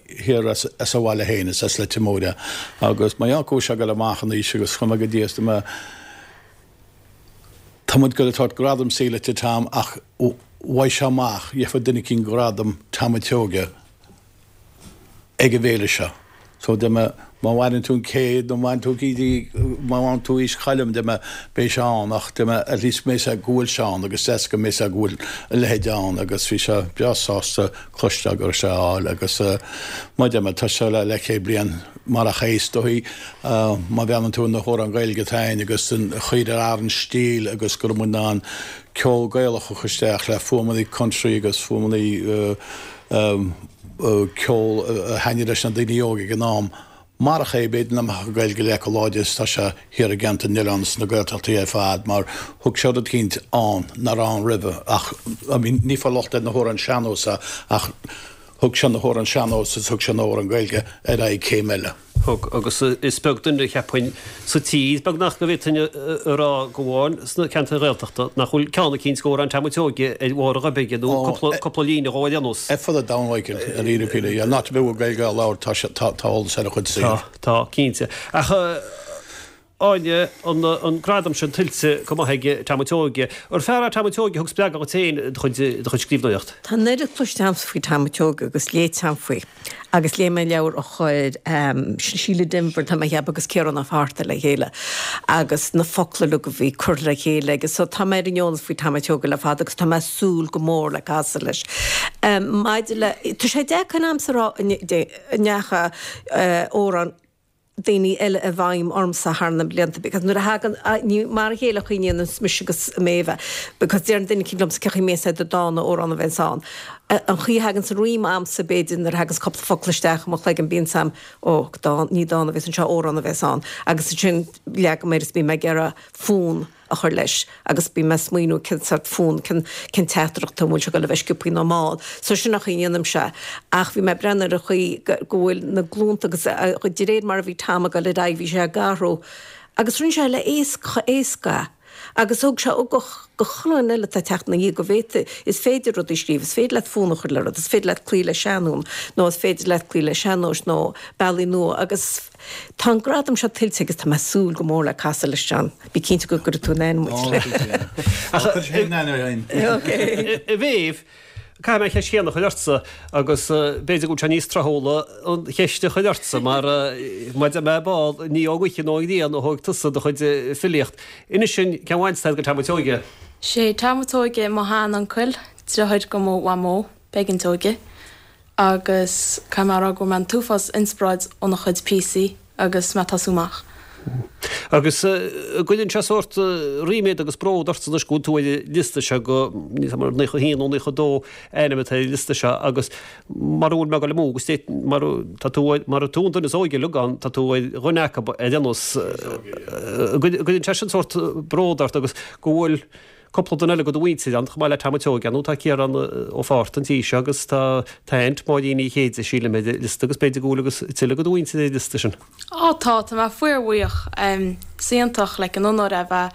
thiar as as a bhaile féin, is as Leitir Móir é agus mar gheall go bhfuil sé ag dul amach in aois agus chuaigh mé go dtí is mé tá muid ag dul a tabhairt gradam saoil do Tom ach uaidh seo amach gheobhaidh duine eicínt gradam Tom Ó Seoige ag an bhféile seo. So deir mé, má mhaireann tú an céad nó má mhaireann tú má mhaireann tú aois Choilm, deir mé, beidh sé ann ach deir mé, at least go mbeidh sé go bhfuil sé ann agus deas go mbeidh sé go bhfuil a leithéid ann agus bhí sé breá sásta cloisteáil go raibh sé á fháil agus mar deir mé, tá sé le leathchéad bliain marach é is dóichí má bhreathnaíonn tú ar na hamhráin Ghaeilge atá ann agus an chaoi ar athraigh an stíl agus go raibh muid in ann ceol Gaelach a chur isteach le fuaimeanna country agus fuaimeanna ceol a thaitnigh leis na daoine óga ag an am. Marach é, b'fhéidir nach mbeadh an Ghaeilge le chomh láidir is atá sé thiar i gceantar na n-oileán is sna Gaeltachtaí ar fad mar thug sé rud eicínt ann nach raibh ann roimhe ach I mean ní fáil locht ar na hamhráin sean-nós ach thug sé na hamhráin sean-nós is thug sé na hamhráin Gaeilge ar aghaidh céim eile. Thug, agus is beag duine, cheapfainn, sa tír, beagnach, go bhféadfainn a rá, go amháin sna ceantair Ghaeltachta, nach bhfuil ceann eicínt d'amhrán Tom Seoige ar bharr a ghoib aige, nó cúpla líne dhó ar aon nós. Ar fud an domhain, Michael, i ndáiríre píre, yeah, an áit a bhfuil Gaeilge á labhairt, tá sé, tá, tá eolas ar a chuid saothair. Tá, tá, cinnte. Ach, Áine, an, an gradam sin tuillte go maith ag Tom Seoige. Ar fear é Tom Seoige a thug spreagadh dhuit féin i do chuid, i do chuid scríbhneoireacht? Tá an oiread cloiste agamsa faoi Tom Seoige agus léite agam faoi. Agus léigh mé leabhar a chuir Síle Denvir, tá mé a cheapadh, agus Ciarán Ó Fátharta le chéile agus na focla uilig a bhí curtha le chéile aige. So tá mé ar an eolas faoi Tom Seoige le fada agus tá mé ag súil go mór le casadh leis. Maidir le, tá sé deacair a'msa a rá an ndeacha amhrán daoine eile i bhfeidhm ormsa thar na blianta because nuair a thagann, ní mar a chéile a chuimhníonn mise agus Méabh because deireann duine eicínt liomsa cén chaoi a mbíonn sé do dán nó amhrán a bheith ann. An chaoi a thaganns an rím a'msa b'fhéidir nuair a thaganns cúpla focal isteach i mo chloigeann bíonn 's a'm ó dán, ní dán a bheas anseo amhrán a bheas ann agus ansin leagaim air is bím ag iarraidh fonn a chur leis agus bím ag smaoineamh cén sort fonn, cén, cén teachtaireacht, an bhfuil sé ag dul a bheith sciobthaí nó mall. So sin an chaoi a ndéanaimse é. Ach bhí mé ag breathnú ar an chaoi go, go bhfuil na glúnta agus de réir mar a bhí Tom ag dul ar aghaidh bhí sé ag athrú agus rinne sé le éasca, éasca é. Agus thug sé ugach do chuile dhuine eile atá ag teacht ina dhiaidh go bhféadfaí, is féidir rudaí a scríobh, is féidir leat fonn a chur le rud, is féidir leat cloí le seanfhonn nó is féidir leat cloí le sean-nós nó bealaí nua agus, Tá an gradam seo tuillte agus tá mé ag súil go mór le casadh leis, John. Bí cinnte go gcuirfidh tú in aithne muid. A Mhéabh, caithfidh mé an cheist chéanna a chur ortsa agus b'fhéidir go bhfuil sé níos tráthúla an cheist a chur ortsa mar mar a deir mé ar ball, ní ón ngaoth nó ón ngrian a thóig tusa do chuid filíocht. Inis dúinn cén bhaint atá agat go Tom Seoige? Sé Tom Seoige mo shean-uncail, deartháir go mo mhamó, Peigín Seoige. agus caithfidh mé a rá go bhfuair mé an t-uafás inspioráid óna chuid píosaí agus mé ag tosú amach. Agus an gcuireann sé sórt ríméad agus bród ortsa anois go bhfuil tú ar an liosta seo go, níl 's agam ar 91 nó 92 ainm atá ar an liosta seo agus mara bhfuil mé ag dul amú agus dé mar tá tú mar tú an duine is óige uilig ann tá tú ar dhuine acu ar aon nós an gcuireann sé sin sórt bród ort agus go bhfuil Cúpla duine eile de do mhuintir ann, chomh maith le Tom Seoige, nó tá Ciarán Ó Fátharta an tí seo agus tá t'aint, Máirín Ní Chéide, sílim, ar an liosta agus b'fhéidir go bhfuil agus tuilleadh de do mhuintir ar an liosta sin. Á tá, tá mé fíorbhuíoch. Is iontach like an onóir é a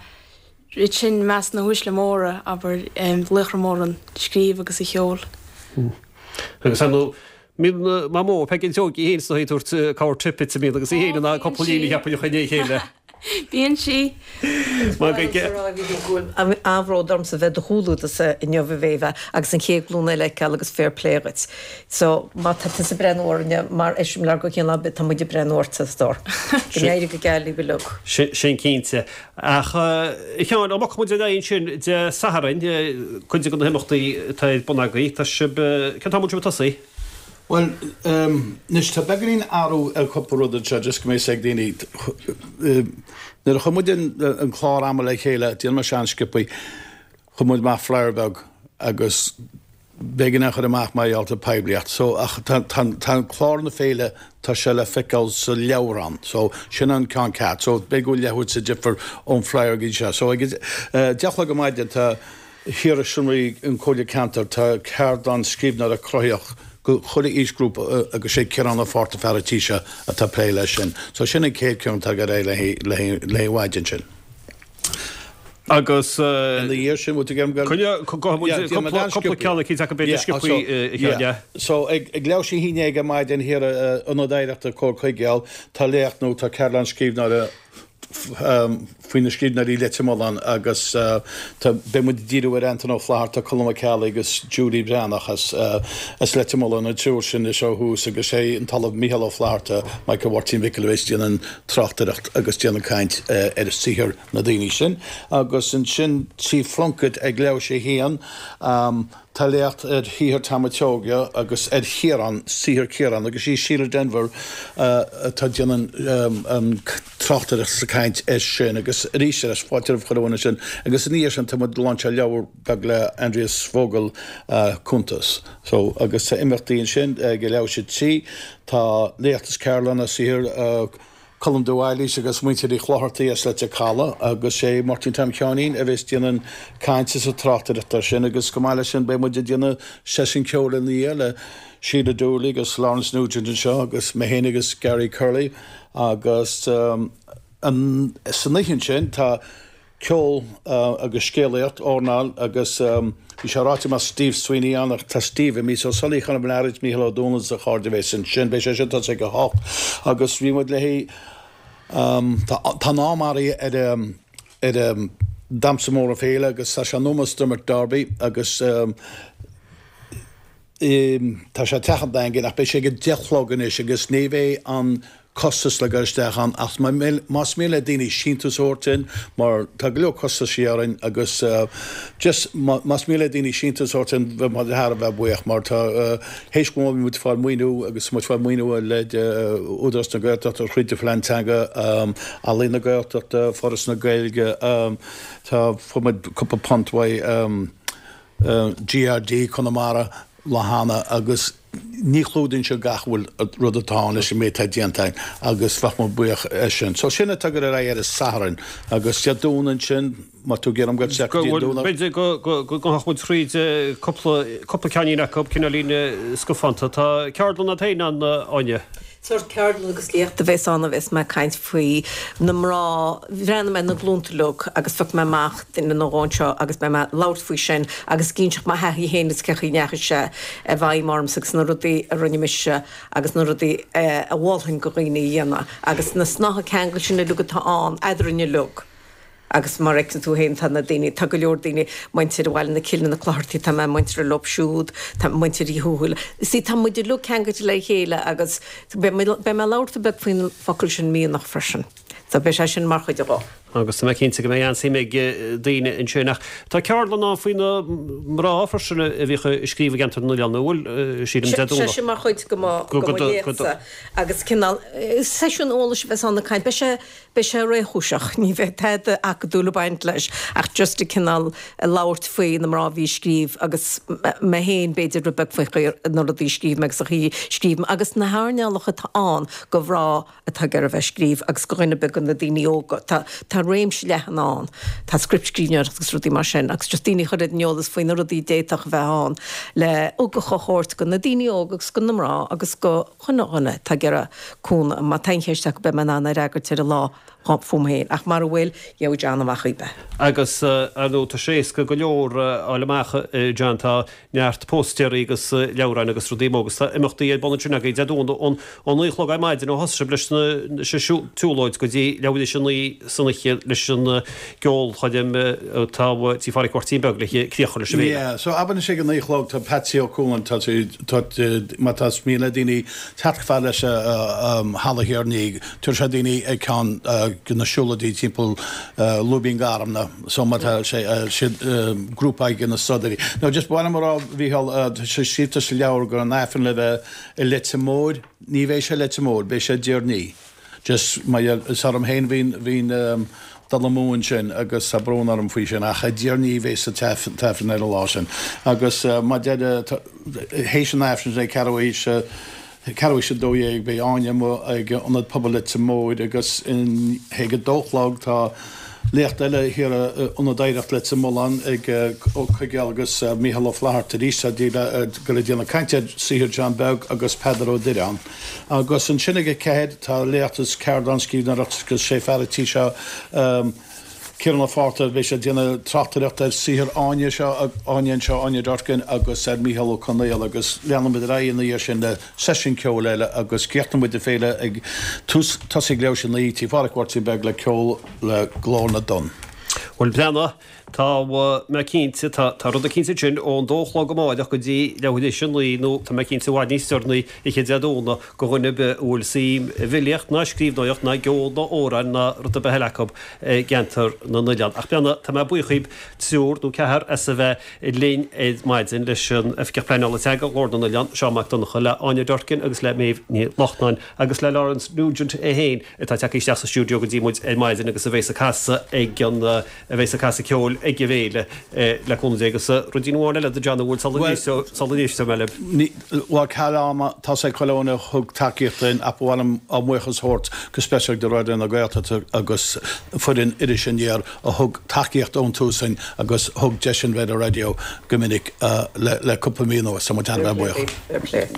bheith ansin i measc na huaisle móra, abair, laochra móra an scríobh agus an cheoil. Agus ar ndóigh, mbíonn Mamó Peigín Seoige í féin is dóigh ag tabhairt cabhair te duit, an mbíonn agus í féin in ann cúpla líne a cheapadh a chur le chéile. Bíonn sí. Mar go bhfuil an-bhród ormsa bheith i do chomhluadarsa inniu a Mhéabh agus an chéad ghlúin eile a fheiceáil agus fair play dhuit. So má tá tusa ag breathnú orainne mar eiseamláir go chéanna tá muid ag breathnú ortsa a stór. Go n-éirí go geal libh uilig. Sin cinnte. Ach a Sheáin, dá mbogfadh muid ar aghaidh ansin Dé Sathairn, cuid de na himeachtaí atá ar bun agaibh, tá sibh, cén t-am a bhfuil sibh ag tosaí? Bhuel, anois tá beagáinín athrú ar chúpla rud anseo, just go mbeidh 'fhios ag daoine. Nuair a chuir muid an clár ama le chéile, déanfaidh mé seo an-sciobthaí, chuir muid amach flyer beag agus b'éigean é a chur amach mar gheall ar poiblíocht. So, ach tá, tá, tá clár na féile, tá sé le feiceáil sa leabhrán. So, sin an ceann ceart. So, b'fhéidir go bhfuil leathuair de difear ón flyer go dtí seo. So, ag a 10 a chlog ar maidin tá thiar i seomraí an Chomhairle Ceantair tá ceardlann scríbhneoireacht cruthaitheach go chuile aoisghrúpa agus sé Ciarán Ó Fátharta fear an tí seo atá ag plé leis sin. So sin an chéad ceann atá ag dul ar aghaidh le leath an mhaidin sin. Agus Ina dhiaidh sin, bhfuil tú ag iarraidh go. Coinne, gabhfaidh muid cúpla ceann eicínt acu b'fhéidir sciobthaí a Sheáin, yeah. So ag leathuair tar éis a haon déag ar maidin thiar i Ionad Oidhreachta Comhar Chuigéal tá léacht nó tá ceardlann scríbhneora faoi na scríbhneoirí Leitir Mealláin agus tá, beidh muid ag díriú ar Antain Ó Flatharta, Colm Ó Ceallaigh agus Julie Breathnach as as Leitir Mealláin, an triúr sin anseo thuas agus sé an tOllamh Mícheál Ó Flatharta, Michael Mháirtín Mhicil a bheas ag déanamh an tráchtaireacht agus déanamh caint ar saothar na daoine sin. Agus ansin Tigh Phlunkett ag leathuair tar éis a haon. Tá léacht ar shaothar Tom a' tSeoighe agus ar Chiarán, saothar Chiaráin, agus í Síle Denvir atá ag déanamh an tráchtaireacht is an caint air sin agus arís eile fáilte roimh chuile dhuine sin agus ina dhiaidh sin tá muid ag lainseáil leabhar beag le Aindrias Vogel, Cuntas. So agus tá imeachtaí ansin ag leathuair tar éis a 3, tá léacht is ceardlann ar saothar Colm de Bhailís agus muintir Uí Chlochartaigh as Leitir Caladh agus sé Máirtín Tom Sheáinín a bheas déanamh an caint is an tráchtaireacht air sin agus chomh maith leis sin beidh muid ag déanamh seisiún ceoil ina dhiaidh le Síle Dooley agus Laurence Nugent anseo agus mé féin agus Gary Curley agus san oíche ansin tá Ceol agus scéalaíocht, airneál agus bhí sé ráite go mbeadh Steve Sweeney ann ach tá Steve imithe so Sully Chonor Bhlearaid, Mícheál Ó Dúnaill is a chairde a bheas ansin. Beidh sé sin tosaithe ag 8 agus bhí muid léi tá tá an am athraithe ar ar an Damhsa Mór na Féile agus tá sé in ómós Dermot Darby agus Tá sé i dTeach an Daingin ach beidh sé ag a 10 a chlog anois agus ní bheidh an costas le dul isteach ann ach más mian le daoine síntiús a thabhairt dúinn mar tá go leor costaisí orainn agus just más mian le daoine síntiús a thabhairt dúinn bheadh muid thar a bheith buíoch mar tá théis go bhfuil muid ag fáil maoiniú agus muid ag fáil maoiniú le Údarás na Gaeltachta thríd an Phlean Teanga, Ealaín na Gaeltachta, Foras na Gaeilge, tá fuair muid cúpla punt uaidh. GRD Conamara lá cheana agus ní chlúdaíonn sé gach bhfuil rud atá ann leis an méid atá déanta againn agus bheadh muid buíoch as sin. So sin atá ag dul ar aghaidh ar an Satharn agus Dé Domhnaigh ansin má tá tú ag iarraidh dul isteach go dtí an Domhnach. B'fhéidir go ngabhfadh muid thríd cúpla cúpla ceainnín acu, cineáilín scafánta. Tá ceardlann agat féin ann, Áine. Sórt ceardlann agus léacht a bheas ann a bheas mé ag caint faoi na mná, bhreathnaigh mé ar na glúnta uilig agus phioc mé amach duine nó dhó anseo agus beidh mé ag labhairt faoi sin agus ag inseacht mo thaithí féin agus cén chaoi a ndeachaigh sé i bhfeidhm ormsa agus na rudaí a rinne mise agus na rudaí a mholfainn go dhaoine a dhéanamh agus na snáithe ceangail sin uilig atá ann eadrainn uilig. Agus mar a fheiceann tú féin, tá na daoine, tá go leor daoine, muintir Bhaile na Cille, na Clochartaigh, tá mé muinteartha leo siúd, tá muintir Uí Thuathail, see, tá muid uilig ceangailte le chéile agus beidh mé, beidh mé ag labhairt rud beag faoin bhfocal sin mianach freisin. So beidh sé sin mar chuid de. Agus tá mé cinnte go mbeidh an-suim ag daoine ansin. Ach tá ceardlann ann faoi na mná freisin a bhíodh ag scríobh i gceantar na nOileán, an bhfuil, sílim, Dé Domhnaigh. Sé sin mar chuid de mo, de mo léachtsa agus cineál seisiún eolais a bheas ann ag caint. Beidh sé, Beidh sé réchúiseach, ní bheidh tada acadúil ag baint leis ach just ag cineál labhairt faoi na mná a bhí ag scríobh agus mé féin b'fhéidir rud beag faoi chaoi na rudaí a scríobh mé agus an chaoi a scríobh mé agus na hearnálacha atá ann go mhná atá ag iarraidh a bheith ag scríobh agus go dhuine ar bith go na daoine óga. Tá tá réimse leathan ann. Tá scriptscríbhneoireacht agus rudaí mar sin agus just daoine a chur ar an eolas faoi na rudaí a d'fhéadfadh a bheith ann le ugach a thabhairt go na daoine óga agus go na mná agus go chuile dhuine atá ag iarraidh cúnamh. Má tá aon cheist acu beidh mé in ann a fhreagairt ar an lá fúm féin. Ach mara bhfuil, gheobhaidh John amach í. Agus, ar ndóigh, tá sé éasca go leor a fháil amach, John, tá neart póstaerí agus leabhráin agus rudaí amuigh agus tá imeachtaí ar bun ansin agaibh Dé Domhnaigh ón 9 a chlog ar maidin ó thosaigh sibh leis an tsiúlóid go dtí leathuair tar éis a 9 san oíche leis an gceolchoirm atá Tí Phádraic Mháirtín Beag le críoch a chur leis an bhféile. Yeah, so abair anois ag a 9 a chlog tá Patsy Ó Cualáin, tá sé, tá, má tá mian le daoine teacht chomh fada leis an Halla Thiar Ní, tabharfaidh sé daoine ag ceann de na siúlóidí timpeall Lúibín Gharmna, so má tá sé, siad grúpa de na Stodairí. Now just ba mhaith liom a rá, a Mhícheál, tá sé scríofa sa leabhar go raibh an Aifreann le bheith i Leitir Móir, ní bheidh sé i Leitir Móir, beidh sé i dTír an Fhia. Just mar gheall, is orm féin a bhí an dul amú ansin agus tá brón orm faoi sin ach i dTír an Fhia a bheas an t-aifreann ar an lá sin. Agus mar a deir, théis an aifrinn sin ag ceathrú théis, ceathrú théis 12 beidh Áine amuigh ag Ionad Pobail Leitir Móir agus ag a dó a chlog tá léacht eile thiar i Ionad Oidhreacht Leitir Mealláin ag Ó Coigeal agus Mícheál Ó Flatharta arís tá ag dul ag déanamh caint ar saothar John Beag agus Peadar Ó Direáin. Agus ansin ag a ceathair tá léacht is ceardlann scríbhneoireachta agus sé fear an tí seo, Ciarán Ó Fátharta, beidh sé ag déanamh tráchtaireacht ar saothar Áine seo, Áine anseo, Áine Durkin agus ar Mícheál Ó Conaola agus leanfaidh muid ar aghaidh ina dhiaidh sin le seisiún ceoil eile agus críochnóidh muid an féile ag tús, tosaí ag leathuair théis a 9, Tí Phádraic Mháirtín Beag le ceol le Glór na dTonn. Bhuel, breathnaigh. Tá mé cinnte, tá, tá rud eicínt ansin ón dó a chlog amáireach go dtí leathuair théis a naoi nó tá mé cinnte i bhfad níos deireanaí oíche Dé Domhnaigh go dhuine ar bith a bhfuil suim i bhfilíocht ná scríbhneoireacht ná gceol ná amhráin ná rud ar bith eile acu i gceantar na n-oileán. Ach beanna, tá mé buíoch dhíbh triúr nó ceathrar as a bheith linn ar maidin leis an Oifigeach Pleanála Teanga, Glór na nOileán, Seán Mac Donncha, le Áine Durkin agus le Méabh Ní Lachtnáin agus le Laurence Nugent é féin atá tagtha isteach sa stiúideo go dtí muid ar maidin agus a bheas ag casadh ag an a bheas ag casadh ceoil ag an bhféile le cúnamh Dé agus ruidín amháin eile do John an bhfuil sula n-éisteoidh mé libh. Bhuel ceal ama, tá sé chuile dhuine a thug tacaíocht dúinn ach ba mhaith liom ár mbuíochas a thabhairt go speisialta do Raidió na Gaeltachta agus foireann Iris Aniar a thug tacaíocht ón tús dúinn agus thug deis dúinn bheith ar an raidió go minic le cúpla mí anuas. Tá muid thar a bheith buíoch.